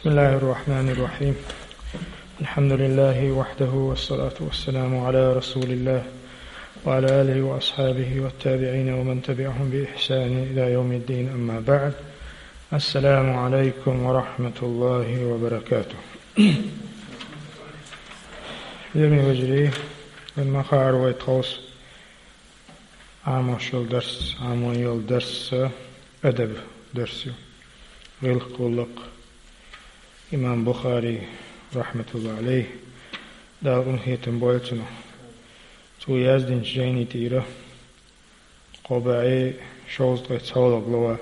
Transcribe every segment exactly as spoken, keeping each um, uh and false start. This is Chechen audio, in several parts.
بسم الله الرحمن الرحيم. الحمد لله وحده والصلاة والسلام على رسول الله وعلى آله وأصحابه والتابعين ومن تبعهم بإحسان إلى يوم الدين، أما بعد. السلام عليكم ورحمة الله وبركاته. Хьоме вежарий, вай ма хаара вай тховса Ӏамош йола дарс, Ӏамош йола дарс адаб дарс ю. ГӀиллакх, гӀуллакх. Имам Бухари, рахматуллахӀи Ӏалайхи, Дала къинхетам бойла цунах, цо яздинчу жайни тӀера кхо бӀе шовзткъе цхьолгӀа глава.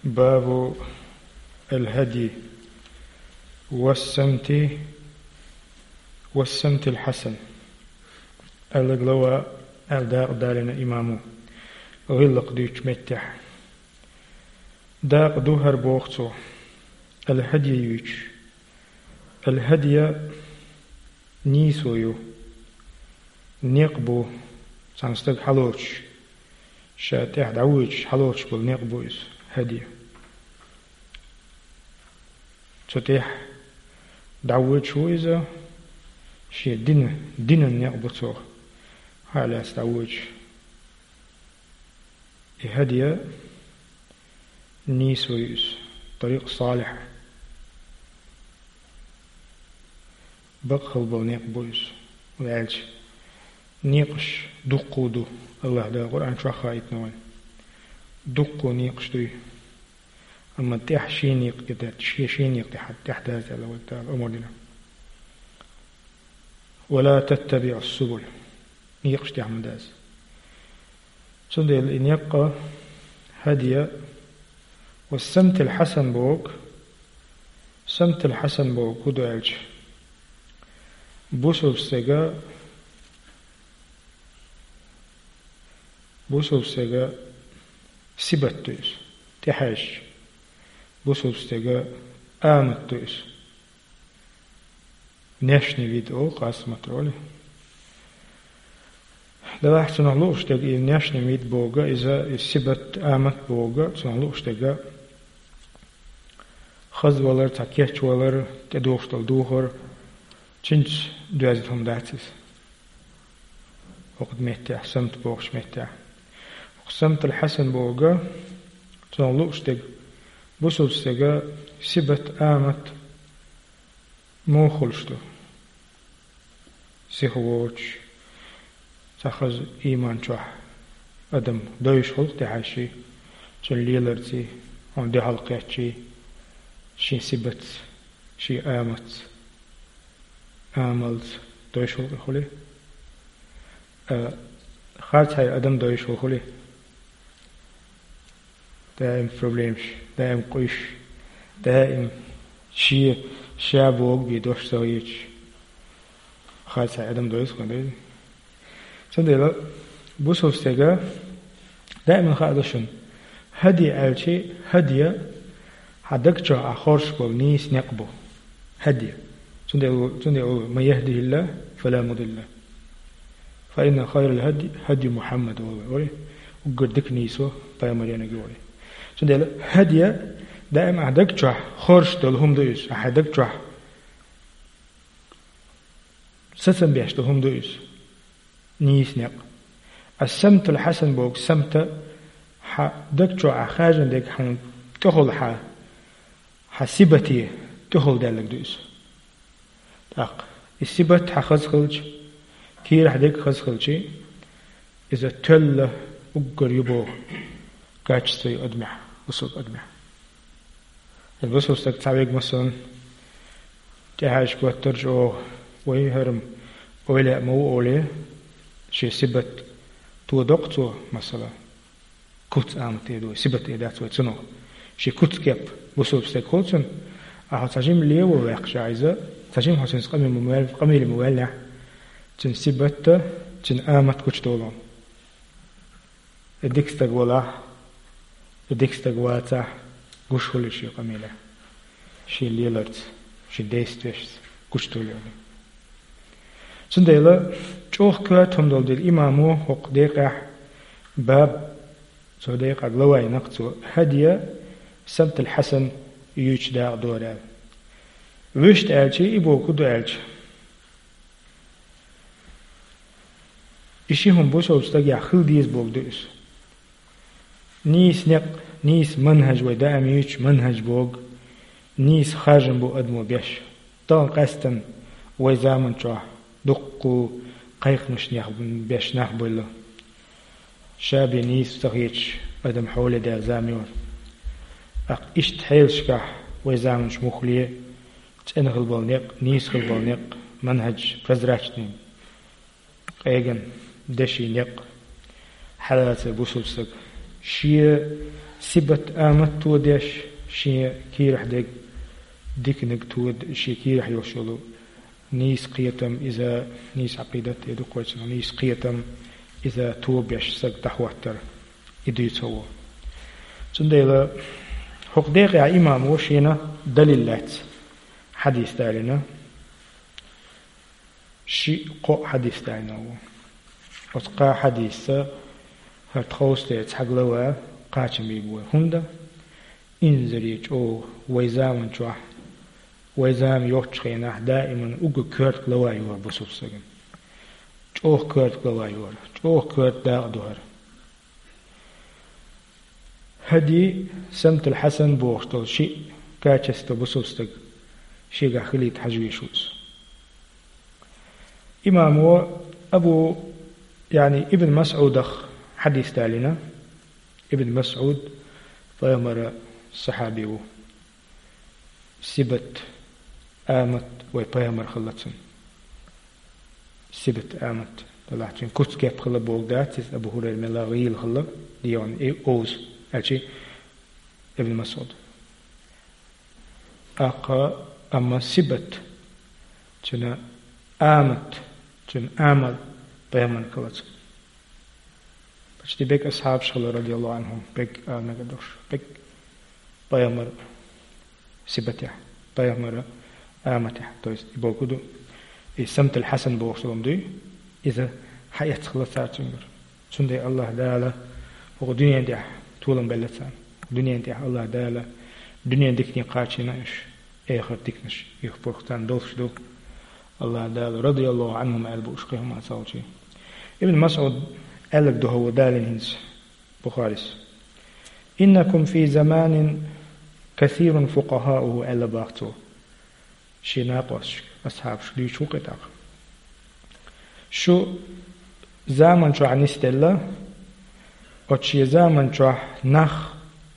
Бабу ал-хӀадйи ва ссамти, ва ссамтил хьасан. Аьлла глава, аьлла дакъа далийна имамо гӀиллакх дуьйцучу меттехь. Дакъа ду хӀара, боху цо, ал-хӀадйи юьйцуш. Ал-хӀадйи нийсо ю, некъ бу, цхьана стага хьалоцуш, ша тӀехь дӀавоьдуш хьалоцуш болу некъ бу иза, хӀадйи. Цу тӀехь дӀавоьдуш ву иза, шен дина, динан некъ бу цо хьалаьцна дӀавоьдуш. И хӀадйи нийсо ю иза, тарикъ салихь. Бакъ хила болу некъ бу иза. Ваьлча, некъаш дуккха ду, АллахӀ Дала Къуръан чохь хаийтина вайна. Дуккха некъаш дуй. Амма тӀехь шен некъ тӀе дац, шен, шен некъ тӀехь, тӀехь дац аьлла вайга Дала омра дина. «Ва ла таттабиӀу ссубул». Некъаш тӀехь ма дац. Цундела и некъ хӀадйи ва ссамтил хьасан боху, самтил хьасан боху хӀун ду аьлча, бусалба стеган, бусалба стеган сибат ду иза, тӀехьаьжча, бусалба стеган амат ду иза. Внешний вид олу, къаьстина олу. Делахь цунах лууш дерг и внешний вид боху, иза и сибат, амат боху, цунах лууш дерг хаза валар, цхьа кечвалар, тӀедухуш долу духар, цуьнца доьзна хӀума дац иза. ХӀокху меттехь, самт бохучу меттехь. ХӀокху самтал хьасан боху, цунах лууш дерг бусалба стеган сибат, амат муха хуьлуш ду? Сиха воцуш, цхьа хаза ийман чохь адам дойуш хуьлу-кх тӀехьаьжча, цуьнан леларций, хьуна дуьхьал кхетчий, шен сибатца, шен аматца, амалца дойуш хуьлу-кх и хуьлий? А, харцхье адам дойуш хуьлу хуьлий? Даим проблемаш, даим къуьйсуш, даим шен, ша бохург бен дош ца хеташ, харцхье адам дойуш хуьлу-кх, ма дойла. Цундела бусалба стеган даиман хаа ду шуна, хӀадйи аьлча, хӀадйи хьан даг чохь Ӏа хоржуш болу нийса некъ бу. ХӀадйи. Цундела, цундела: «Ман яхӀдихӀиллахӀу, фала мудилла лахӀу. Фа инна хайрал хӀадйи хӀадйу Мухьаммад», олу вай. Уггар дика нийсо пайхамаран ю вай. Цундела хӀадйи даим ахь даг чохь хоржуш долу хӀума ду иза, ахь даг чохь сацам беш долу хӀума ду иза. Нийса некъ. Ас-самтул хьасан боху, самта хьан даг чохь Ӏа хаьржина дерг хьуна тӀехула хьан, хьан сибате тӀехула даьлларг ду иза. ТӀаккха и сибат хьан хаза хилча, кийрахь дерг хаза хилча, иза тоьлла уггар ю боху качество ю адамехь, бусалба адамехь. Иза бусалба стаг цхьа верг, масалан, тӀехьаьжча хӀоттарча оха, вай хӀара-м ойла а ма ву олий, шен сибат тодо-кх цо, масала, куц амат эр ду, сибат эр дац вай цунах. Шен куц-кеп бусалба стеган хуьлу цуьнан, ахьа цхьа жима лево ваьккхича иза, цхьа жима хьо цуьнца къамел ма ваьл-, къамеле ма ваьллехь, цуьнан сибат а, цуьнан амат а гучудолу. И дика стаг валахь, и дика стаг вацахь, гуш хуьлу шен къамелехь, шен леларца, шен действиешца гучудолу. Цундела чӀогӀа коьрта хӀума долу дела имамо хӀокху декъехь баб, цо декъа глава йина-кх цо, хӀадйи, самтал хьасан, юьйцу дакъа дора аьлла. Вуьшта аьлча, и бохург ду аьлча, и ши хӀума бусалба стагехь хила деза бохург ду иза. Нийса некъ, нийса манхӀаж, вай даим юьйцу манхӀаж бохург, нийса харжам бу адамо беш. Тахана къаьстина вай заман чохь дуккха кхайкхамаш беш нах бевлла. Ша бен нийса ца хеташ адам хьоле даьлла зама ю. ТӀаккха иштта хьелашкахь вай заманчу муххале цӀена хила болу некъ, нийса хила болу некъ, манхӀаж прозрачный, къегина, деши некъ хьалаца бусалба стаг шен сибат, амат тодеш, шен кийрахь дерг диканиг тода, шен кийрахь йолуш йолу нийса кхетам, иза нийса Ӏакъидат, и ду кхойцунах нийса кхетам, иза тобеш стаг дӀахӀоттар, и дуьйцу хӀокхо. Цундела хӀокху декъехь имамо шена далил лаьцна хьадис далийна, шиъ-кхоъ хьадис далийна ву. Оцу кхаа хьадисца хӀара тховса дерг цхьа глава кхачам бийр бу вай. ХӀунда? Инзаре чӀогӀа вай заман чохь, вай зама йоцчу хенахь даиман уггар коьрта глава ю хӀара бусалба стагана. ЧӀогӀа коьрта глава ю хӀара, чӀогӀа коьрта дакъа ду хӀара. ХӀади Самтал Хьасан бохуш долу шиъ качество бусалба стаг шегахь хилийта хьажа везаш ву иза. Имамо Абу, яъни Ибн МасӀудах хьадис далийна. Ибн МасӀуд пайхамара сахьаби ву. Сибат, амат вай пайхамар хилла цуьнан. Сибат, амат, делахь цуьнан куц-кеп хилла бохург дац иза, Абу ХӀурайра мелла гӀийла хилла, дегӀана и овза, аьлчи Ибн МасӀуд. ТӀаккха, амма сибат, цуьнан амат, цуьнан амал пайхамар хилла цуьнан. Почти берриг асхьабаш хилла, радияллаху Ӏанхум, берриг ала мегар долуш, берриг пайхамар сибатехь, пайхамара аматехь, то есть и бохург ду, и Самтал Хьасан бохуш долу дуй, иза хьаэцна хилла цара цуьнгара. Цундела Аллаха Дала хӀокху дуьнен тӀехь толам белла царна. Дуьнен тӀехь Аллаха Дала дуьнен дикане кхачийна уьш, эхарт диканаш юхабоху царна долуш ду. Аллаха Дала радияллаху Ӏанхум аьлла бу уьш кхин хӀума ца хилча. Ибн МасӀуд аьлларг ду хӀокхо далийна хӀинца Бухарис. «Иннакум фи заманин касирун фукъахауху», аьлла боху цо. Шен накъосташка, асхьабашка дуьйцуш ву кхин тӀаккха. Шу заман чохь нисделла, оцу шен заман чохь нах,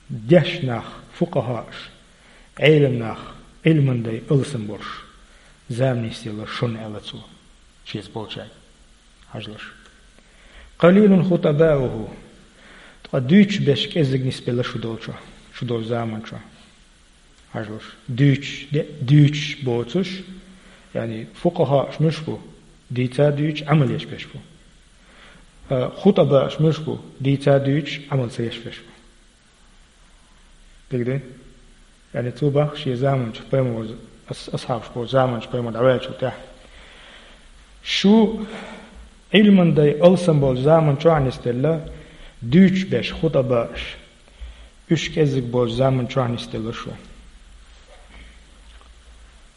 дешна нах, фукъахааш, Ӏелам нах, Ӏилман дай алсам болуш, зама нисделла шуна, аьлла цо, шеца болчаьрга. Хьажалаш. «Къалилун хутабауху». Ткъа дуьйцуш берш кӀезиг нисбелла шу долчохь, шу долчу заман чохь. Хьажалаш. Дуьйцуш, де, дуьйцуш боцуш, яъни фукъахааш муьлш бу, дийца дуьйцуш, Ӏамал еш берш бу. А, хутабааш муьлш бу, дийца дуьйцуш, Ӏамал ца еш берш бу. Дика ду? Яъни цо боху шен заманчу пайхамар, ас-, асхьабаш болчу заманчу пайхамар дӀаваьллачул тӀаьхьа. Шу Ӏилман дай алсам болчу заман чохь нисделла, дуьйцуш берш, хутабааш, уьш кӀезиг болчу заман чохь нисделла шу.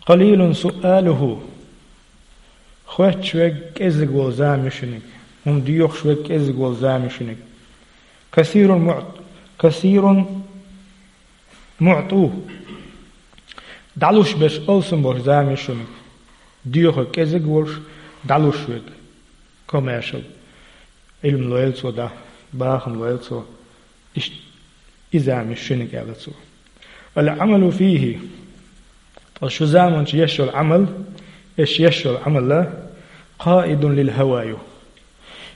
«Къалилун суалуху». Хоьттуш верг кӀезиг волу зама ю шуьниг. ХӀума доьхуш верг кӀезиг волу зама ю шуьниг. «Касирун муӀт-, касирун муӀту». ДӀалуш берш алсам болуш зама ю шуьниг. Доьхург кӀезиг волуш, дӀалуш верг. Комаьршал. Ӏилма лойла цо дӀа, бахам лойла цо. Иштта и зама ю шуьниг, аьлла цо. «Ал-Ӏамалу фийхи». Ткъа шу заманчу еш йолу Ӏамал, еш еш йолу Ӏамал, «къаидун лил хӀава» ю.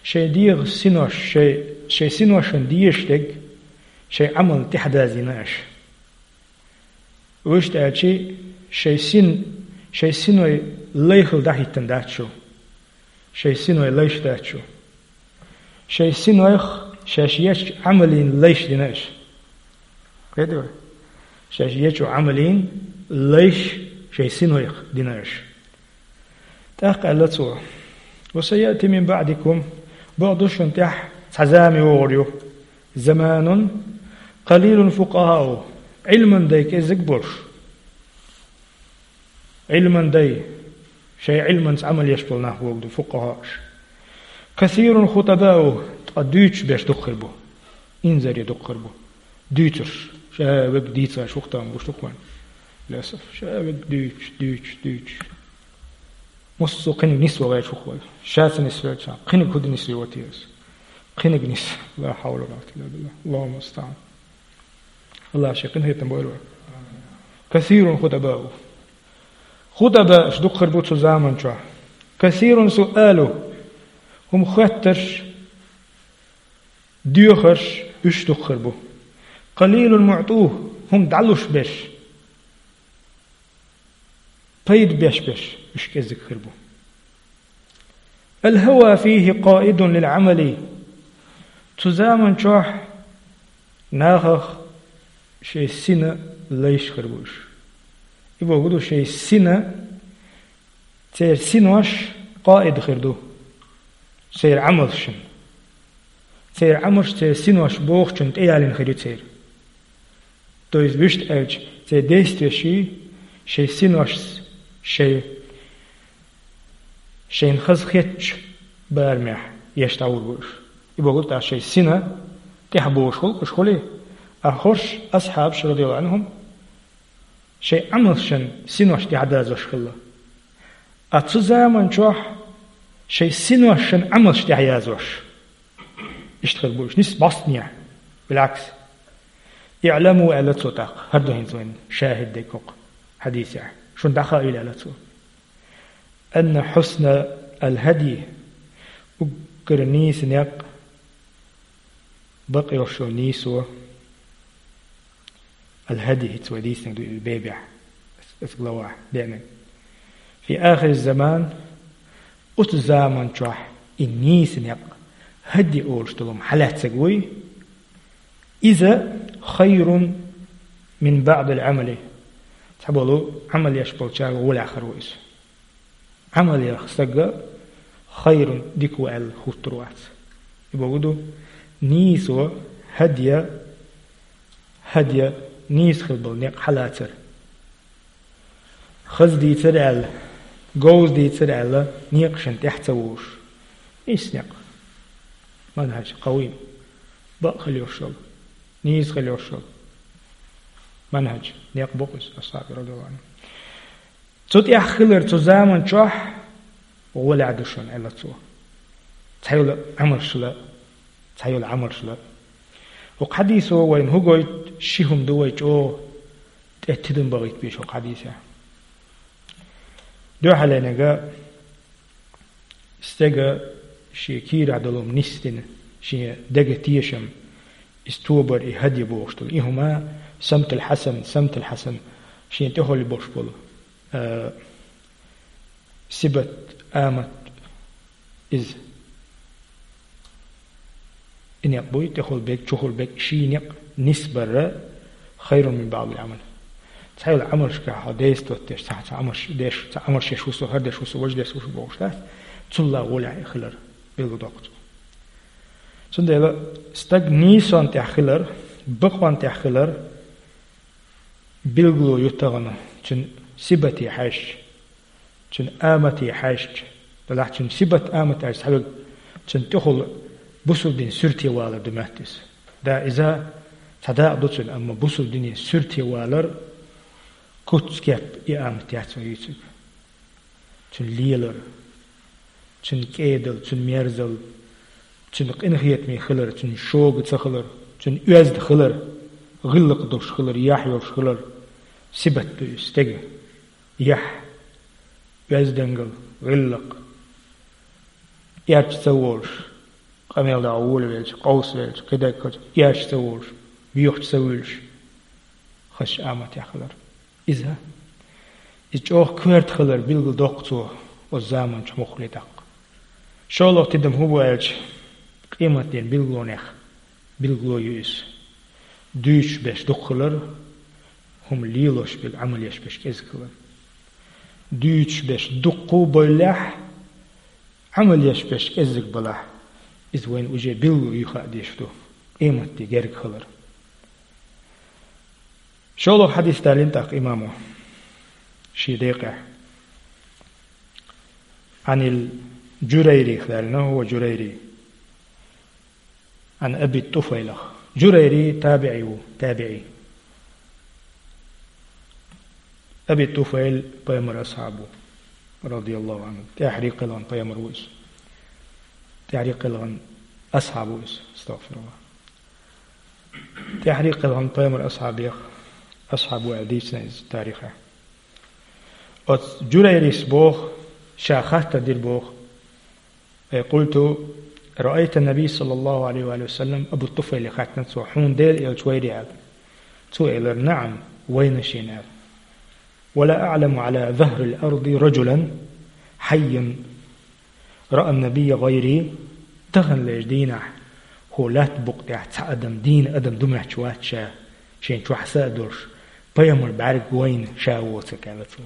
Шайн дегӀан синош, шайн, шайн синошна дезаш дерг, шайн Ӏамална тӀаьхьадазийна аша. Вуьшта аьлчи, шайн син, шайн синой лайхал дӀахӀиттина дац шу. Шайн синой лайш дац шу. Шайн синойх шаьш ечу Ӏамалин лайш дина аша. Кхетий вай? Шаьш ечу Ӏамалин лайш шайн синойх дина аша. ТӀаккха аьлла цо: «Ва саяти мин баъдикум», бакъду шуна тӀехь цхьа зама йогӀур ю. «Заманун къалилун фукъахау». Ӏилман дай кӀеззиг болуш. Ӏилман дай, шайн Ӏилманца Ӏамал еш болу нах бохург ду фукъахӀаш. Касирун хутабау, ткъа дуьйцуш берш дукха хир бу. Инзаре дукха хир бу. Дуьйцурш, ша вег дийца шух там гуш дукха вайн. Лесов, ша вег дуьйцуш, дуьйцуш, дуьйцуш. Муссо кхиниг нис вагӀе шух вай. Ша ца нис велча, кхиниг хӀу дан нис ве вати ас. Кхиниг нис. Ла хьавла ва ла къуввата илла биллахӀ. Аллаху мустаӀан. Аллах шен къинхетам бойла вай. Касирун хутабау. Хутабааш дукха хир бу цу заман чохь. Касирун суалу. ХӀума хоьттарш, доьхарш, уьш дукха хир бу. Къалилун муӀту. ХӀума дӀалуш берш. Пайда беш берш, уьш кӀеззиг хир бу. Ал-хӀава фихӀи къаидун лил-Ӏамали. Цу заман чохь нахах шайн сина лайш хир бу уьш. И бохург ду, шайн сина, церан синош къаид хир ду. Церан Ӏамалшна. Церан Ӏамалш церан синош бохучунна тӀеялийна хир ю церан. То есть, вуьшта аьлча, церан действиеш шайн синошца, шайн, шайна хаза хетачу барамехь еш дӀагӀур бу уьш. И бохург ду, шайн сина тӀехь бохуш хуьлу уьш хуьлий, а хӀорш асхьабаш, радияллаху Ӏанхум, шайн Ӏамалшна синош тӀехь дазош хилла. А цу заман чохь шайн синошна Ӏамалш тӀехь язош. Иштта хир бу уьш, нис бӀостанехь. БилгӀакс. «ИӀламу», аьлла цо тӀаккха, хӀара ду хӀинца вайн шахӀид дерг хӀокху хьадисехь. Шуна дӀахаийла аьлла цо. «Анна хьусна ал-хӀадйи», уггар нийса некъ, бакъ йолуш йолу нийсо, ал-хӀадйи, хӀинца вай дийцинарг ду и бебехь, оцу главахь деанарг. «Фи ахири заман», оцу заман чохь и нийса некъ, хӀадйи олуш долу хӀума хьалаьцнарг вуй, иза «хайрун мин баӀдил Ӏамали». Цхьаболу Ӏамал еш болчарна гӀолехь хир ву иза. Ӏамал еш стаг хайрун, дика ву аьлла хӀуттур вац. И бохург ду, нийсо, хӀадйа, хӀадйа нийса хила болу некъ хьалацар. Хаза дийцар аьлла, говза дийцар аьлла, некъашна тӀехь ца вуш. Нийса некъ. МанхӀаж къавим. Бакъ хила йолуш йолу. Нийса хила йолуш йолу. МанхӀаж. Некъ бу-кх иза, асхьабий, радияллаху Ӏанхум. Цу тӀехь хилар цу заман чохь гӀолехь ду шуна, аьлла цо. Цхьайолу Ӏамалшла, цхьайолу Ӏамалшла. ХӀокху хьадисо вайна хӀун гойту, ши хӀума ду вай чӀогӀа тӀе тидам бахийта безаш хӀокху хьадисехь. Дуьххьалерниг, стеган шен кийрахь долу хӀума нисдина, шен деган тешам, иза тобар, и хӀадйа бохуш долу. И хӀума самтул хьасан, самтул хьасан, шен тӀехула болуш болу, а, сибат, амат иза. И некъ буй, тӀехула берг, чухула берг, ши некъ нисбар хайрун мин баӀдил Ӏамал. Цхьайолу Ӏамалшкахь хьо действовать деш, цхьа, цхьа Ӏамалш деш, цхьа Ӏамалш еш ву со, хӀара деш ву со, важа деш ву со бохуш дац, цулла гӀолехь хилар билгалдоккху цо. Цундела стаг нийсонна тӀехь хилар, бакъонна тӀехь хилар билгало ю тахана, цуьнан сибате хьаьжча. Цуьнан амате хьаьжча, делахь цуьнан сибат, амат аьлча цхьаверг, цуьнан тӀехула бусулба дин суьрте валар ду моьтту иза. Да, иза цхьа дакъа ду цуьнан, амма бусулба динан суьрте валар куц-кеп и амат яц вай юьйцург. Цуьнан лелар, цуьнан кӀедал, цуьнан мерзал, цуьнан къинхетаме хилар, цуьнан шога ца хилар, цуьнан оьзда хилар, гӀиллакх долуш хилар, яхь йолуш хилар, сибат ду иза стеган. Яхь, оьздангалла, гӀиллакх, эрча ца волуш, къамел дӀа волавелча, къовсавелча, кхидерг хилча, эрча ца волуш, боьхачу ца вуьйлуш, хазачу аматехь хилар. Иза, иза чӀогӀа коьрта хилар билгалдоккху цо оцу заманчохь муххале тӀаккха. ШолгӀа тидам хӀун бу аьлча, къематдийнан билгалонех билгало ю иза. Дуьйцуш берш дукха хилар, хӀума лелош берг, Ӏамал еш берш кӀезиг хилар. Дуьйцуш берш дуккха а боллехь, Ӏамал еш берш кӀезиг балахь, иза вайна уже билгало ю хаа дезаш ду, къематде герга хилар. ШолгӀа хьадис далийна тӀаккха имамо шен декъехь. عن الجريري, далийна, هو جريري. عن أبي الطفيل. Джурайри табиӀи ву, табиӀи. Аби ТӀуфайл пайхамар асхьаб ву, رضي الله عنه. ТӀаьхьарий кхелхина пайхамар ву иза. ТӀаьхьарий кхелхина асхьаб ву иза, астагӀфируллахӀ. ТӀаьхьарий кхелхина пайхамар асхьабех, асхьаб ву аьлла дийцина иза тарихехь. Оцу Джурайрис боху, ша хаттар дира боху: «Э, قلت: رأيت النبي صلى الله عليه وآله وسلم؟» Абу ТӀуфайле хаьттина цо: «Хьуна Делан элча вайрий?» аьлла. Цо элира: «نعم, вайна шена», аьлла. «ولا أعلم على ظهر الأرض رجلا حيا رأى النبي غيري». Таханлерчу дийнахь хӀокху лаьттан букъа тӀехь цхьа адам, дийна адам ду моьттуш вац ша, шен чохь са а долуш, пайхамар бӀаьрг вайна ша воцург, аьлла цо,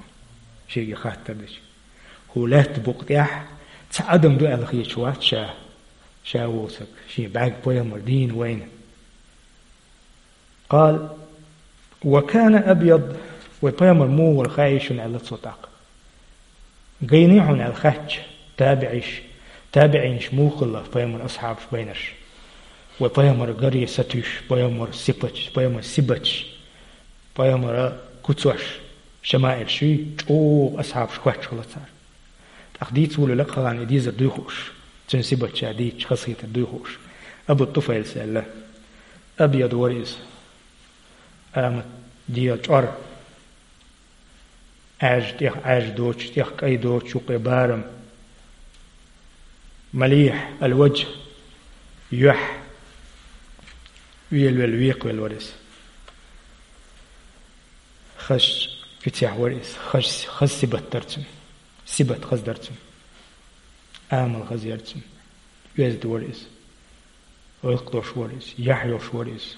шега хаттар дича. ХӀокху лаьттан букъа тӀехь цхьа адам ду аьлла хеташ вац ша, ша воцург, шен бӀаьрг пайхамар дийна вайна. قال: «وكان أبيض», вай пайхамар муха вара хаий шуна, аьлла цо тӀаккха. Гайний хьуна аьлла хаьттича, табиӀиш, табиӀинаш муха хилла пайхамар асхьабаш байнарш. Вай пайхамар гаре сатуьйсуш, пайхамар сипаташ, пайхамар сибаташ, пайхамара куцаш, шамаил шуьй, чӀогӀа асхьабаш хоьттуш хилла цара. ТӀаккха дийца волавелла кхалана и дезар дуй хууш, цуьнан сибат ша дийцича хазахетар дуй хууш, Абу ТӀуфайлас аьлла: «أبيض», вара иза, амат дегӀан чӀор, Ӏаьржа тӀех Ӏаьржа доцуш, тӀех кӀай доцуш, юккъе барам, مليح الوجه, юьхь, велавелла, векхавелла вара иза. Хазачу куьцехь вара иза, хаза, хаза сибат дара цуьнан, сибат хаза дара цуьнан, амал хаза яра цуьнан, оьзда вара иза, гӀиллакх долуш вара иза, яхь йолуш вара иза,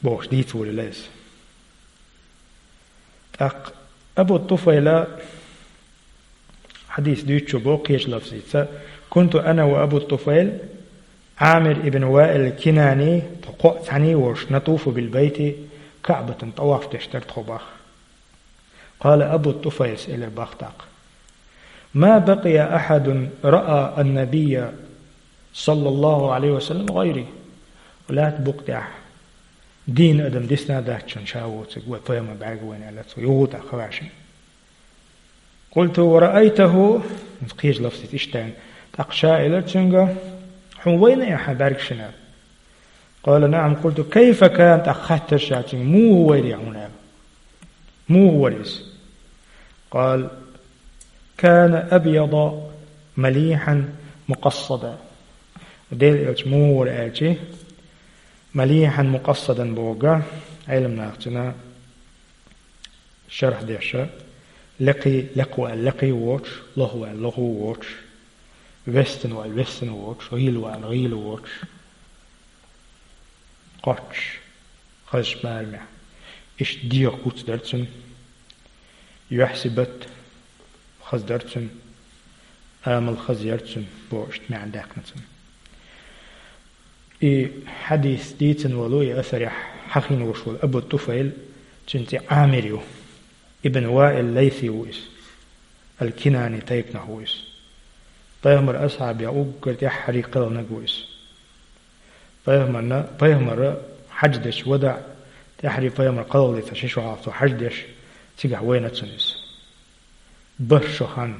бохуш дийца волавелла иза. ТӀаккха Абу ТӀуфайла хьадис дуьйцучо боху кхечу лафзица: «كنت أنا وأبو الطفيل عامر بن وائل الكناني», тхо кхоъ цхьаьний а волуш, «نطوف بالبيت», КаӀбатан тӀаваф деш дара тхо боху. قال أبو الطفيل, элира боху тӀаккха: «ما بقي أحد رأى النبي صلى الله عليه وسلم غيري». Лаьттан букъа тӀехь дийна адам дисна а дац шуна ша воцург, вай пайхамар бӀаьрг вайна, аьлла цо, юха тӀаккха хаваьшна. «قلت: ورأيته؟» Кхечу лафзица иштта аьлла. ТӀаккха ша элира цуьнга: «Хьуна вайна и хьан бӀаьрг шуна?» قال: «نعم». قلت: «كيف كان؟» ТӀаккха хаьттира ша цуьнга: «Муха вайра хьуна?» аьлла. «Муха вара иза?» قال: «كان أبيض مليحا مقصدا». Делан элча муха вара аьлча, «مليحا مقصدا» бохург, Ӏеламнаха цуьнан шарх деш, лекхий, лекха ву аьлла лекха воцуш, лоха ву аьлла лоха воцуш, вестина ву аьлла вестина воцуш, гӀийла ву аьлла гӀийла воцуш, кхоччуш, хазачу барамехь. Иштта дегӀан куц дара цуьнан, юьхь, сибат хаза дара цуьнан, амал хаза яра цуьнан, бохуш иштта маьӀна даьккхина цуьнан. И хьадис дийцина волу, и асарехь хьахийна волуш волу Абу ТӀуфайл, цуьнан цӀе Ӏамир ю. Ибн Ваил Лайси ву иза. Ал-Кинани тайпанах ву иза. Пайхамар асхьабех уггар тӀаьххьарий кхелхинарг ву иза. Пайхамарна, пайхамара хьаьж дечу вадаӀ, тӀаьххьарий пайхамар кхалхаллица ши шо хьалха цо хьаьж деш, цигахь вайна цунна иза. Барх шо хан,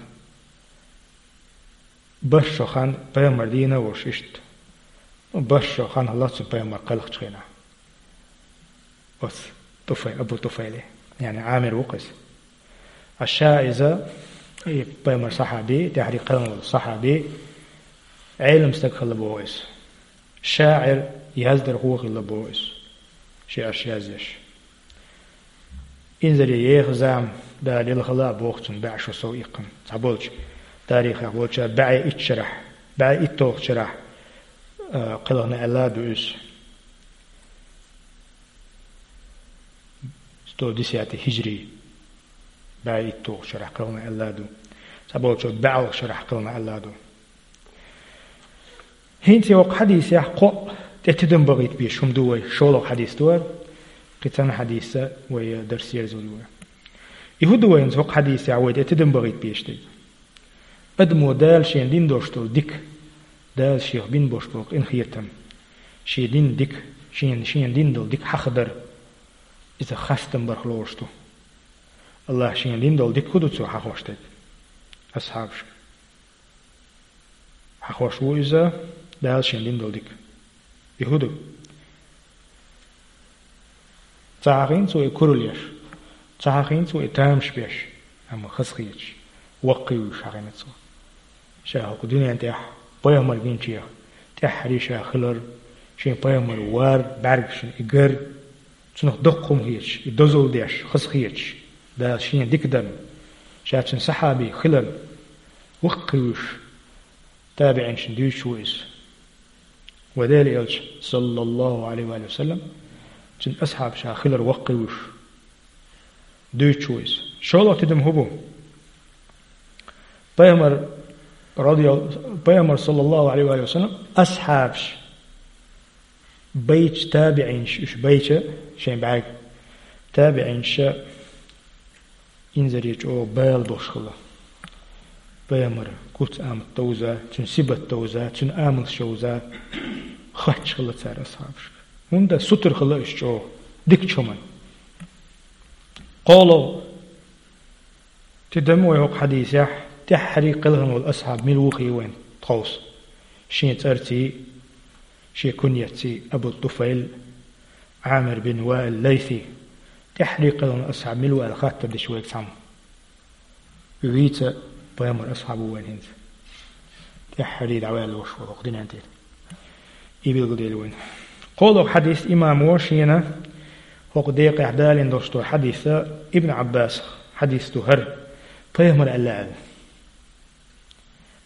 барх шо хан пайхамар дийна а волуш иштта. Ну, барх шо хан хилла цунна пайхамар кхелхачу хенахь. Оцу ТӀуфай-, Абу ТӀуфайле, яъни Ӏамир ву-кх иза. Ткъа ша иза, и пайхамар сахьаби, тӀаьххьарий кхелхина волу сахьаби, Ӏелам стаг хилла боху иза. ШаӀир, яздархо хилла боху иза. ШиӀарш язъеш. Инзаре еха зама Дала лелхала а боху цунна бӀе шо сов иккхина. Цхьаболчу тарихехь болчара бӀе итт шарахь, бӀе итталгӀачу шарахь, а, кхелхина аьлла а ду иза. Сто десятый хиджри, бӀе итталгӀачу шарахь кхелхина аьлла а ду. Цхьаболчо бӀе алгӀачу шарахь кхелхина аьлла а ду. ХӀинца и хӀокху хьадисехь кхоъ тӀе тидам бахийта безаш хӀума ду вай, шолгӀа хьадис ду хӀара. Кхы цхьа хьадис вай дарс ерзалур ю. И хӀун ду вайна хӀокху хьадисехь вай тӀе тидам бахийта безаш дерг? Адамо Дала шена дина долуш долу дика, Дала шех бина болуш болу къинхетам, шен дина дика, шена, шена дина долу дика хьахадар, иза хастам барх лоруш ду. Аллах шена дина долу дика хӀун ду цо хьахош дерг? Асхьабашка. Хьахош ву иза Дала шена дина долу дика. И хӀун ду? Ца хьахийна цо и куралла еш, ца хьахийна цо и тамаш беш, амма хазахеташ, ваккхий вуьйш хьахийна цо. Ша хӀокху дуьнен тӀехь пайхамар гинчех тӀаьххьарий ша хилар, шен пайхамар вар, бӀаьргашна и гар, цунах доккха хӀума хеташ, и дозалла деш, хазахеташ, Дала шена дика дарна, ша цуьнан сахьаби хиларна, ваккхий вуьйш, табиӀинашна дуьйцуш ву иза. Вай Делан Элча, саллаллаху Ӏалайхи ва саллам, цуьнан асхьабаша хилар ваккхий вуьйш, дуьйцуш ву иза. ШолгӀа тидам хӀун бу? Пайхамар, радиял-, Пайхамар, саллаллаху Ӏалайхи ва саллам, асхьабаш байча, табиӀинаш уьш байча, шайн бӀаьрг, табиӀинаша инзаре чӀогӀа бала болуш хилла. Пайхамар куц-амат довза, цуьнан сибат довза, цуьнан амалш йовза, хоьттуш хилла цара асхьабашка. ХӀунда сутара хилла уьш чӀогӀа дикачу хӀуманна. КхоалгӀа тидам вай хӀокху хьадисехь, тӀаьххьарий кхелхина волу асхьаб мила ву хии вайна тховса. Шен цӀарций, шен куньятций, Абу ТӀуфайл, Ӏамир бин Ваил Лайси, тӀаьххьарий кхелхина асхьаб мила ву аьлла хаттар дича вайга цхьамма. Вийца пайхамар асхьаб ву вайн хӀинца. ТӀаьххьарий дӀаваьлла ваш ву хӀокху дуьнен тӀера. И билгалдели вайн. КхоалгӀа хьадис имамо шена хӀокху декъехь далийна долуш долу хьадис Ибн Ӏаббасах хьадис ду хӀара, пайхамар аьлла аьлла.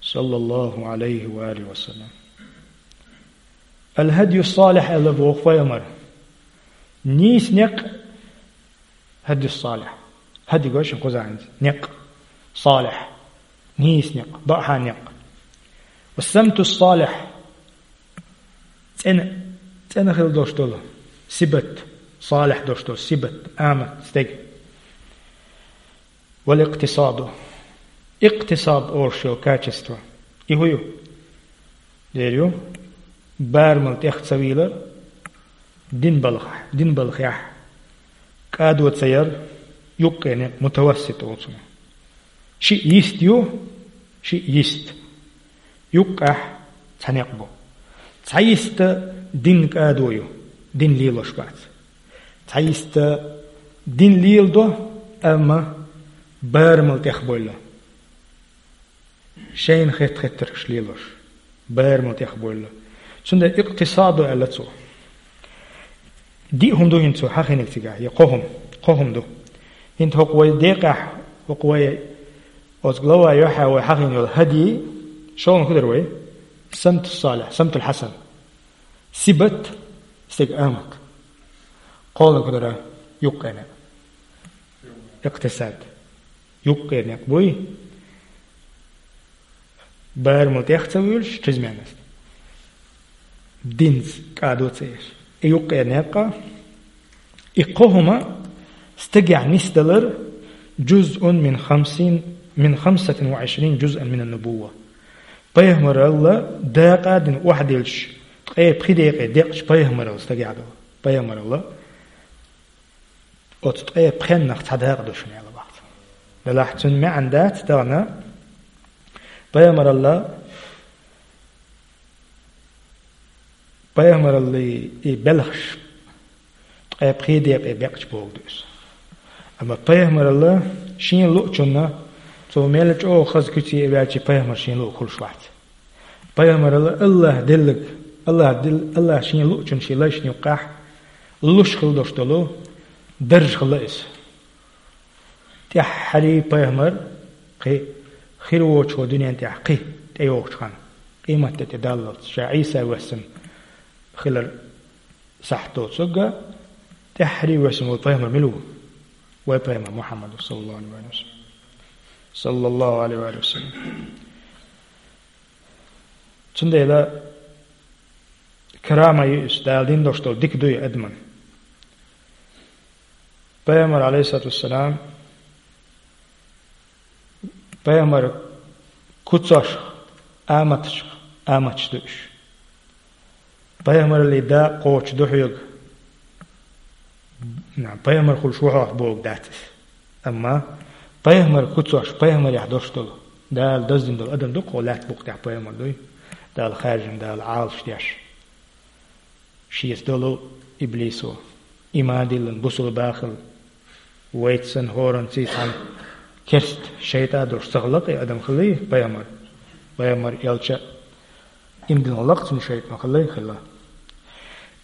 Саллаллаху Ӏалайхи ва алихи ва саллам. Ал-хадйу салихь аьлла боху пайхамар. Нийса некъ хадйу салихь. Хадйу гой шун кхузахьанца. Некъ. Салихь. Нийса некъ. Баъхьа некъ. Ва самту салихь. ЦӀена, цӀена хила долуш долу. Сибат. Салихь долуш долу. Сибат. Амат. Стег. Вал икътисаду. Икътисад олуш йолу качество. И хӀун ю? Дера ю, барамал тӀех ца вийлар, дин балхахь, дин балхехь, кӀадо ца яр, юккъе некъ мутавассит олу цунах. Шиъ йист ю, шиъ йист. Юккъехь цхьа некъ бу. Цхьа йиста дин кӀадо ю, дин лелош бац. Цхьа йиста дин леладо, амма барамал тӀех бойла. Шайна хетта-хеттаргаш лелош, барамал тӀех бойла. Цундела икътисадо аьлла цо. Диъ хӀума ду хӀинца цо хьахийнарг цигахь, я кхо хӀума, кхо хӀума ду. ХӀинца хӀокху вай декъехь, хӀокху вай оцу глава юьхьа вай хьахийна йолу хадий, шолгӀаниг хӀун дара вай? Самту салихь, самтул хьасан. Сибат, стеган амат. КхоалгӀаниг хӀун дара? Юккъе некъ. Икътисад. Юккъе некъ буй. Барамал тӀех ца вуьйлуш, чрезмерность. Динца кӀадо ца еш. И юккъе некъ, и кхо хӀума стегехь нисдалар, жузъун мин хамсин, мин хамсатин ва Ӏишрин жузъан мин ан-нубувва. Пайхамаралла дакъа а дина охьадиллаш, ткъе пхи декъе декъча пайхамаралла стагехь долу. Пайхамаралла оцу ткъе пхеннах цхьа дакъа ду шуна аьлла бахьа. Делахь цуьнан маьӀна дац тахана, пайхамаралла, пайхамараллий и белхаш ткъе пхи декъе бекъча бохург ду иза. Амма пайхамаралла шена луучунна, цо мел чӀогӀа хаза куьце а ваьлча, пайхамар шена луург хуьлуш вац. Пайхамаралла Аллах деллаг, Аллах дил-, Аллах шена луучунна шен лайшна юккъехь луш хила долуш долу дарж хилла иза. ТӀаьххьарий пайхамар кхин хир воцучу дуьнен тӀехь кхин тӀейогӀучу ханна, къематде тӀе даллалц, ша Ӏийса воьссина хилар сахьт доцург, тӀаьххьарий воьссина волу пайхамар мила ву? Вай пайхамар Мухьаммад ву, саллаллаху Ӏалайхи ва саллам. Саллаллаху Ӏалайхи ва саллам. Цундела карама ю иза, Дала дина долуш долу дика ду и адаман. Пайхамар, алейхиссалату вассалам, пайхамар куцашха, аматашха, аматаш ду уьш. Пайхамаралли дакъа кхочуш ду хьоьга. На, пайхамар хуьлуш ву хьо бохург дац иза. Амма пайхамар куцаш, пайхамарехь долуш долу, Дала даздина долу адам ду-кх хьо, лаьтта букъа тӀехь пайхамар дуй, Дала хаьржина, Дала Ӏалаш деш. Шеца долу иблисо, иман диллина, бусулба хилла, вайца санна хӀоранца цхьаьна керста шайтӀа долуш ца хилла-кх и адам, хилла пайхамар. Пайхамар, элча а, иман диллина хилла-кх цунна шайтӀа, хилла, хилла.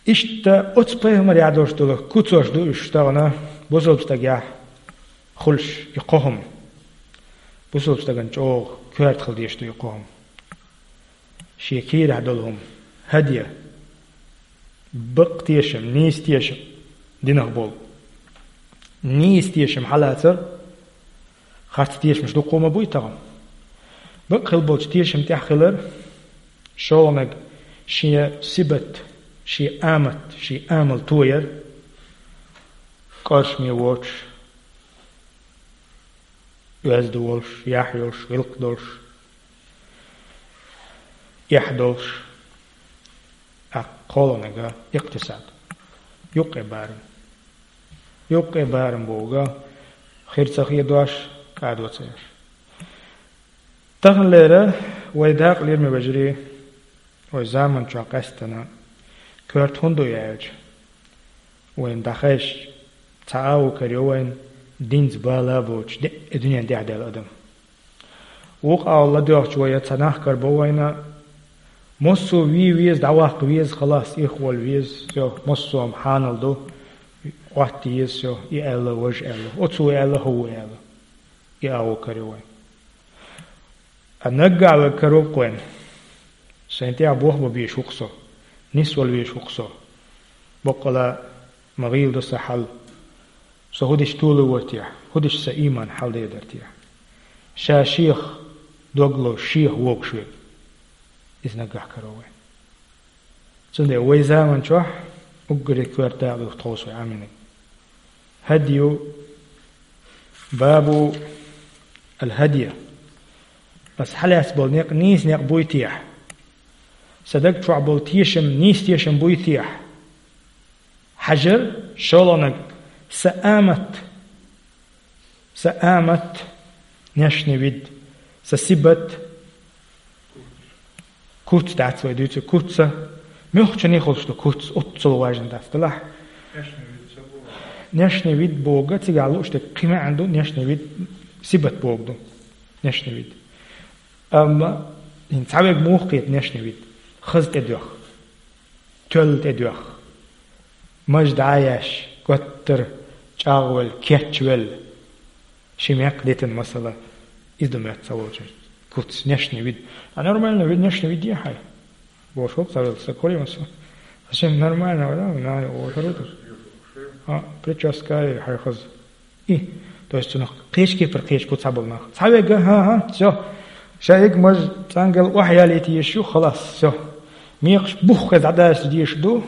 Иштта оцу пайхамарехь долуш долу куцаш ду уьш тахана бусулба стагехь хуьлуш и кхо хӀума. Бусулба стагана чӀогӀа коьрта хила дезаш ду и кхо хӀума. Шен кийрахь долу хӀума, хӀадья, бакъ тешам, нийса тешам динах болу. Нийса тешам хьалацар, харц тешамаш дуккха ма буй тахана. Бакъ хила болчу тешам тӀехь хилар, шолгӀаниг шен сибат, шен амат, шен амал тояр, кӀоршаме воцуш, оьзда волуш, яхь йолуш, гӀиллакх долуш, эхь долуш, тӀаккха кхоалгӀаниг икътисад. Юккъе барам. Юккъе барам бохург, хир ца хедош, кӀадо ца еш. Таханлера вай дакъа, лераме вежарий, вай заман чохь къаьстина коьрта хӀунда ду аьлча, вайна дӀахезча, цхьа агӀо карайо вайна, динца бала а боцуш, де а дуьнен тӀехь даьлла адам. Вукху агӀор ладоьгӀча вай, цхьа нах карабо вайна, массо а вен веза, дӀаваккха веза, халас, ирхъолла веза, всё, массо а хӀума хьанал ду, Ӏотта еза, всё, и аьлла, важа аьлла, оцо аьлла, хӀуъа аьлла. И агӀо карайо вайна. Ткъа наггахь вайга карор-кх вайна. Сайн тӀехь бохам бан безаш ву-кх со, нисвала везаш ву-кх со. Баккъала ма гӀийла ду сан хьал. Со хӀун дича толур вара техьа, хӀун дича сан ийман хьаладер дара техьа. Ша шех дог лозуш, шех вогуш верг. Иза наггахь карор вайна. Цундела вай заман чохь уггаре коьрта дакъа ду тховса вай Ӏамийнарг. ХӀадйу, бабу ал-хӀадйа. Аса хьалаьцна болу некъ нийса некъ буй техьа? Сан даг чохь болу тешам нийса тешам буй техьа? Хьажар, шолгӀаниг, сан амат, сан амат, внешний вид, сан сибат, куц дац вай дуьйцург, куц а, муьлххачунна хуьлуш ду куц, оццул важна дац, делахь. Внешний вид бохург, цигахь лууш дерг кхин маьӀна ду, внешний вид, сибат бохург ду, внешний вид. Амма хӀинца цхьаверг муха кхета внешний вид? Хаза тӀедоьху, тоьлла тӀедоьху, маж дӀа а еш, готтара чӀагӀвелла, кечвелла, ши мекх дитина масала, иза ду моьтту ца волчу куц, внешний вид. А нормальный вид, внешний вид е хьайн? Бохуш ву цхьа велла стаг, хуьлий масала? Совсем нормально вара, на, вахара ву. А, прическа е хьайн хаза. И, то есть цунах кхечу кепара кхечу куц цхьаболу нах. Цхьаверг, хӀан-хӀа, всё. Ша ерг маж цӀангал охьаялийта езаш ю, халас, всё. Мекхаш бух хеза дӀадасса дезаш ду.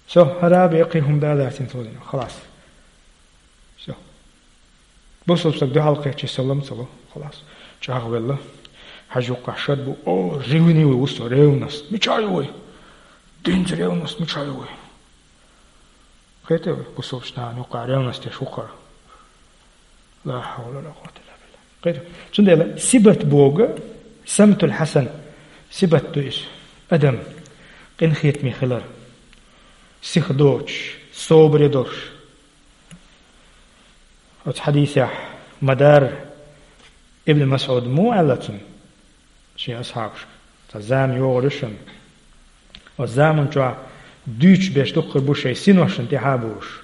Всё, хӀара а бен кхин хӀума далацийна цо дина, халас. Всё. Бусалба стаг дуьхьал кхечи салам ца ло, халас. ЧӀагӀвелла. Хьажа юккъахь шад бу, о, ревнивый ву со, ревность. Мича ю вай? Динца ревность мича ю вай? Кхетий вай, бусалбачу нахана юккъахь ревность еш ву хӀара. Ла хьавла ва ла къуввата илла билла. Кхетий? Цундела сибат бохург, самтул хьасан, сибат ду иза. Адам къинхетаме хилар. Сиха доцуш, собаре долуш. Оцу хьадисехь ма-дарра Ибн МасӀуда муха аьлла цунна? Шен асхьабашка: «Цхьа зама йогӀур ю шуна. Оцу заман чохь дуьйцуш берш дуккха хир бу шайн синошна тӀаьхьа а бовлуш».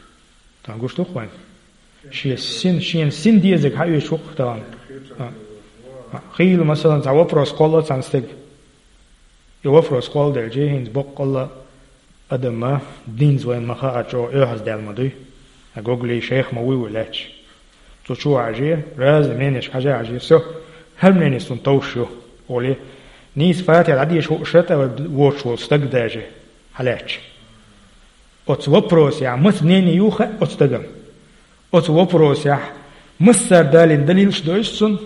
Тахана гуш ду-кх вайна? Шен син, шена син дезарг хьаоьцуш ву-кх тахана. А, а, хийла, масалан, цхьа вопрос кхолла цхьана стеган. И вопрос кхолладелча, хӀинца боккъалла адам ма, динца вайна ма-хаъара, чӀогӀа оьгӀаздаьлла ма дуй. Ткъа гуглий шайх ма вуй вай лаьтташ. Цу чу а хьажий, разный мнениешка хьажа а хьажий, всё, хӀара мнение суна товш ю, олий. Нийса Фатихьа дӀадеша хууш тӀе воцуш волу стаг даже хьалаьтташ. Оцу вопросехь маца мнение ю хаьа оцу стагана. Оцу вопросехь массара далийна далилаш дойсу цунна?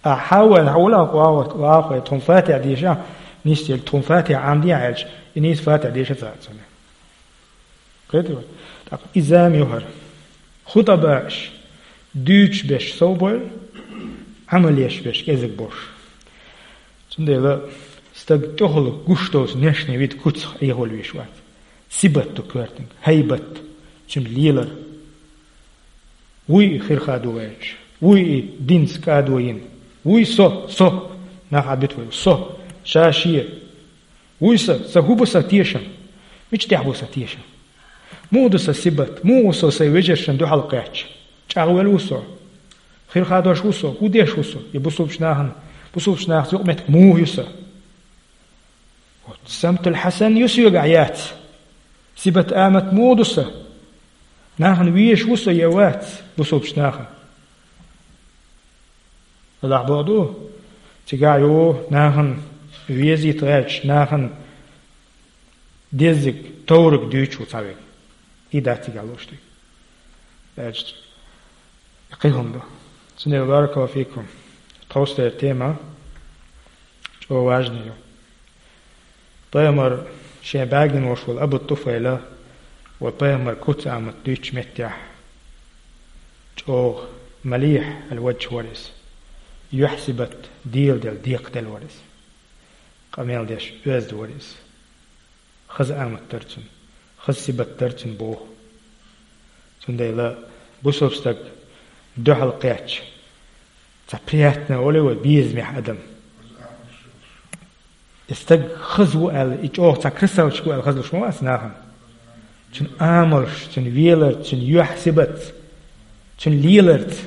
А хьаван хьула вахой тхуна фатихь деша, нисделла тхуна фатихь Ӏамдехь аьлча, и нийса фатихь деша ца цунна. Кхетий вай? ТӀаккха и зама ю хӀара. ХутӀабааш дуьйцуш берш сов бойла, Ӏамал еш берш кӀезиг болуш. Цундела стаг тӀехула гуш долчу нешне вид куцах Ӏехавала веш вац. Сибат ду коьртаниг, хӀайбат, цуьнан лелар. Вуй и хир хадо ваьлча, вуй и динца кӀадо йина. Вуй со, со, нах Ӏадбит вай, со, ша шен. Вуй сан, сан хӀун бу сан тешам? Мича тӀехь бу сан тешам? Муха ду сан сибат? Муха ву со сайн вежаршна дуьхьал кхаьчча? ЧӀагӀвелла ву со? Хир хадош ву со? ХӀун деш ву со? И бусулбачу нахана, бусулбачу нахаца юкъаметтиг муха ю сан? Вот, самтул хьасан ю соьгахь яц? Сибат амат муха ду сан? Нахана везаш ву со я вац бусулбачу нахана? Аллах боху ду, цигахь ю нахана везийта гӀерташ, нахана деззиг, товраг дуьйцуш ву цхьа верг. И дац цигахь луш дерг. Аьлча, кхин хӀума ду. Цундела баракаллаху фикум. Тховсара тема чӀогӀа важна ю. Пайхамар шен бӀаьргина волуш волу Абу ТӀуфайла, ва пайхамар куц амат дуьйцучу меттехь, чӀогӀа малихь аьлла ваджа вара иза. Юьхь-сибат дийла делла, декхаделла вара иза. Къамел деш оьзда вара иза. Хаза амат дара цуьнан, хаза сибат дара цуьнан боху. Цундела бусалба стаг дуьхьал кхетча, цхьа приятно олий вай, безамехь адам. И стаг хаза ву аьлла, и чӀогӀа цхьа красавчик ву аьлла хазлуш ма вац нахана. Цуьнан амалш, цуьнан велар, цуьнан юьхь-сибатца, цуьнан леларца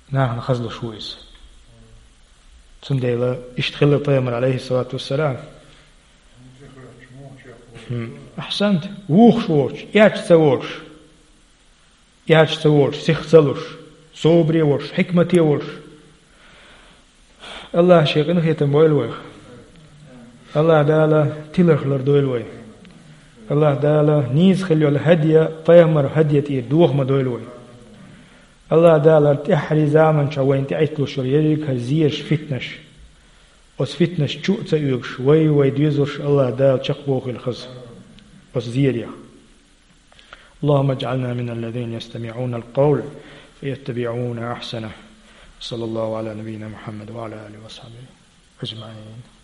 нахана хазлуш ву иза. Цундела иштта хилла пайхамар, алейхиссалату вассалам. Хм. Ахьсант, вухуш воцуш, эцна ца воцуш, эцна ца воцуш, сих ца луш, собаре воцуш, хьикмате воцуш. Аллах шен къинхетам бойла вайх. Аллах Дала тиларх лардойла вай. Аллах Дала нийса хила йолу хӀадия, пайхамар хӀадия тӀера доха ма дойла вай. Аллах Дала тӀаьххьарий заманчохь вайна тӀеӀитталуш йолу ерриг а зераш, фитнаш. Оцу фитнаш чу а ца оьгуш, вай, вай доьзалш Аллах Дала чекхбохийла хаза оцу зерех. اللهم اجعلنا من الذين يستمعون القول فيتبعون أحسنه. صلى الله على نبينا محمد وعلى آله وصحبه أجمعين.